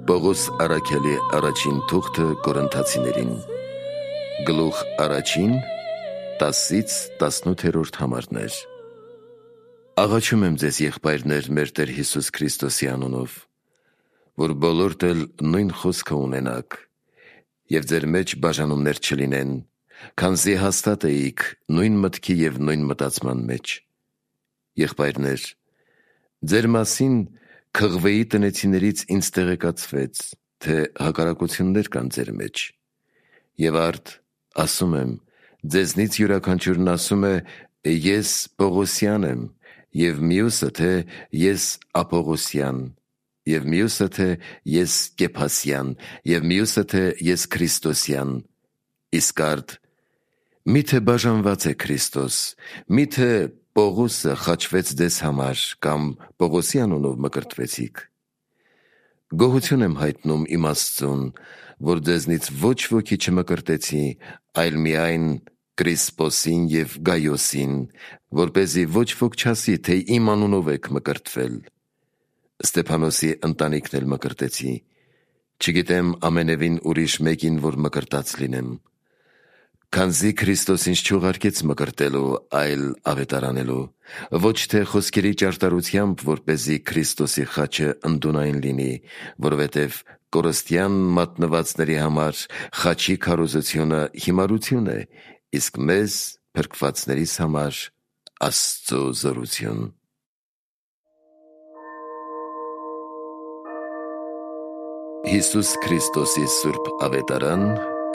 Պողոս առաքյալի առաջին թուղթը Կորինթացիներին, գլուխ առաջին 10-18 համարներ։ Աղաչում եմ ձեզ, եղբայրներ, մեր Տեր Հիսուս Քրիստոսի անունով, որ բոլորդ էլ նույն խոսքը ունենաք և ձեր մեջ բաժանումներ չլինեն, քանզի հաստատ էիք նույն մտքի և նույն մտածման մեջ։ Եղբայրներ, ձեր մասին Քղվեի տնեցիներից ինձ տեղեկացվեց, թե հակառակություններ կան ձեր մեջ, և արդ ասում եմ, ձեզնից յուրաքանչյուրն ասում է, ես Պողոսյան եմ, և մյուսը, թե ես Ապողոսյան, և մյուսը, թե ես Կեփասյան, և մյուսը, թե ես Քրիստոսյան, իսկ արդ միթե բաժանված է Քրիստոս, միթե Պողոսը խաչվեց ձեզ համար, կամ Պողոսի անունով մկրտվեցիք։ Գոհություն եմ հայտնում իմ Աստծուն, որ ձեզնից ոչ ոքի չմկրտեցի, այլ միայն Կրիսպոսին և Գայոսին, որպեսզի ոչ ոք չասի, թե իմ անունով եք մկրտվել։ Ստեփանոսի ընտանիքն էլ մկրտեցի, չգիտեմ ամենևին ուրիշ մեկին, որ մկրտած լինեմ, քանզի Քրիստոս ինձ չուղարկեց մկրտելու, այլ ավետարանելու, ոչ թե խոսքերի ճարտարությամբ, որպեսզի Քրիստոսի խաչը ընդունային լինի, որովհետև կորստյան մատնվածների համար խաչի քարոզությունը հիմարություն է, իսկ մեզ փրկվածներիս համար Աստծո զորություն։ Հիսուս Քրիստոսի սուրբ ավետարան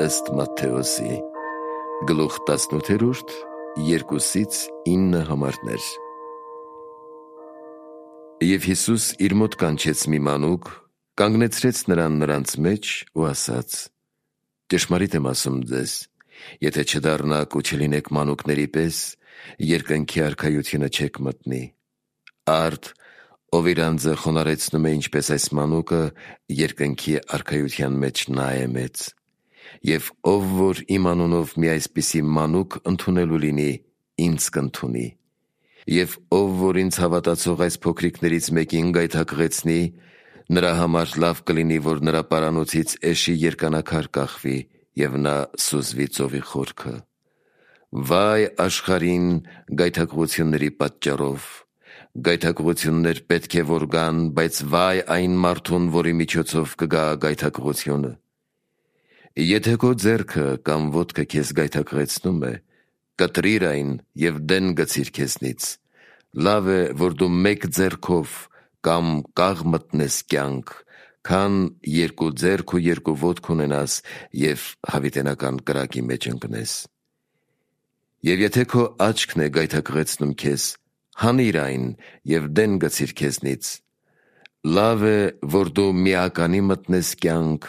ըստ Մատթեոսի, գլուխ 18, 2-9 համարներ։ Եվ Հիսուս իր մոտ կանչեց մի մանուկ, կանգնեցրեց նրան նրանց մեջ ու ասաց. ճշմարիտ եմ ասում ձեզ, եթե չդառնաք ու չլինեք մանուկների պես, երկնքի արքայությունը չեք մտնի։ Արդ, ով իր անձը խոնարհեցնում է ինչպես այս մանուկը, երկնքի արքայության մեջ նա է մեծ։ Եվ ով որ իմ անունով մի այսպիսի մանուկ ընդունելու լինի, ինձ կընդունի։ Եվ ով որ ինձ հավատացող այս փոքրիկներից մեկին գայթակղեցնի, նրա համար լավ կլինի, որ նրա պարանոցից էշի երկանաքար կախվի, և նա սուզվի ծովի խորքը։ Վայ աշխարհին գայթակղությունների պատճառով։ Գայթակղություններ պետք է որ գան, բայց վայ այն մարդուն, որի միջոցով կգա գայթակղությունը։ Եթե քո ձեռքը կամ ոտքը քեզ գայթակղեցնում է, կտրիր այն և դեն գցիր քեզնից։ Լավ է, որ դու մեկ ձեռքով կամ կաղ մտնես կյանք, քան երկու ձեռք ու երկու ոտք ունենաս և հավիտենական կրակի մեջ ընկնես։ Եվ եթե քո աչքն է գայթակղեցնում քեզ, հանիր այն և դեն գցիր քեզնից։ Լավ է, որ դու միականի մտնես կյանք,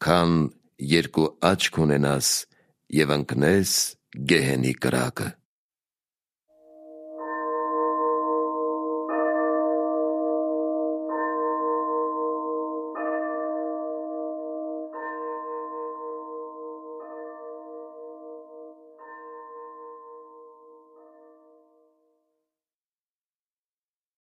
քան երկու աչք ունենաս և ընկնես գեհենի կրակը։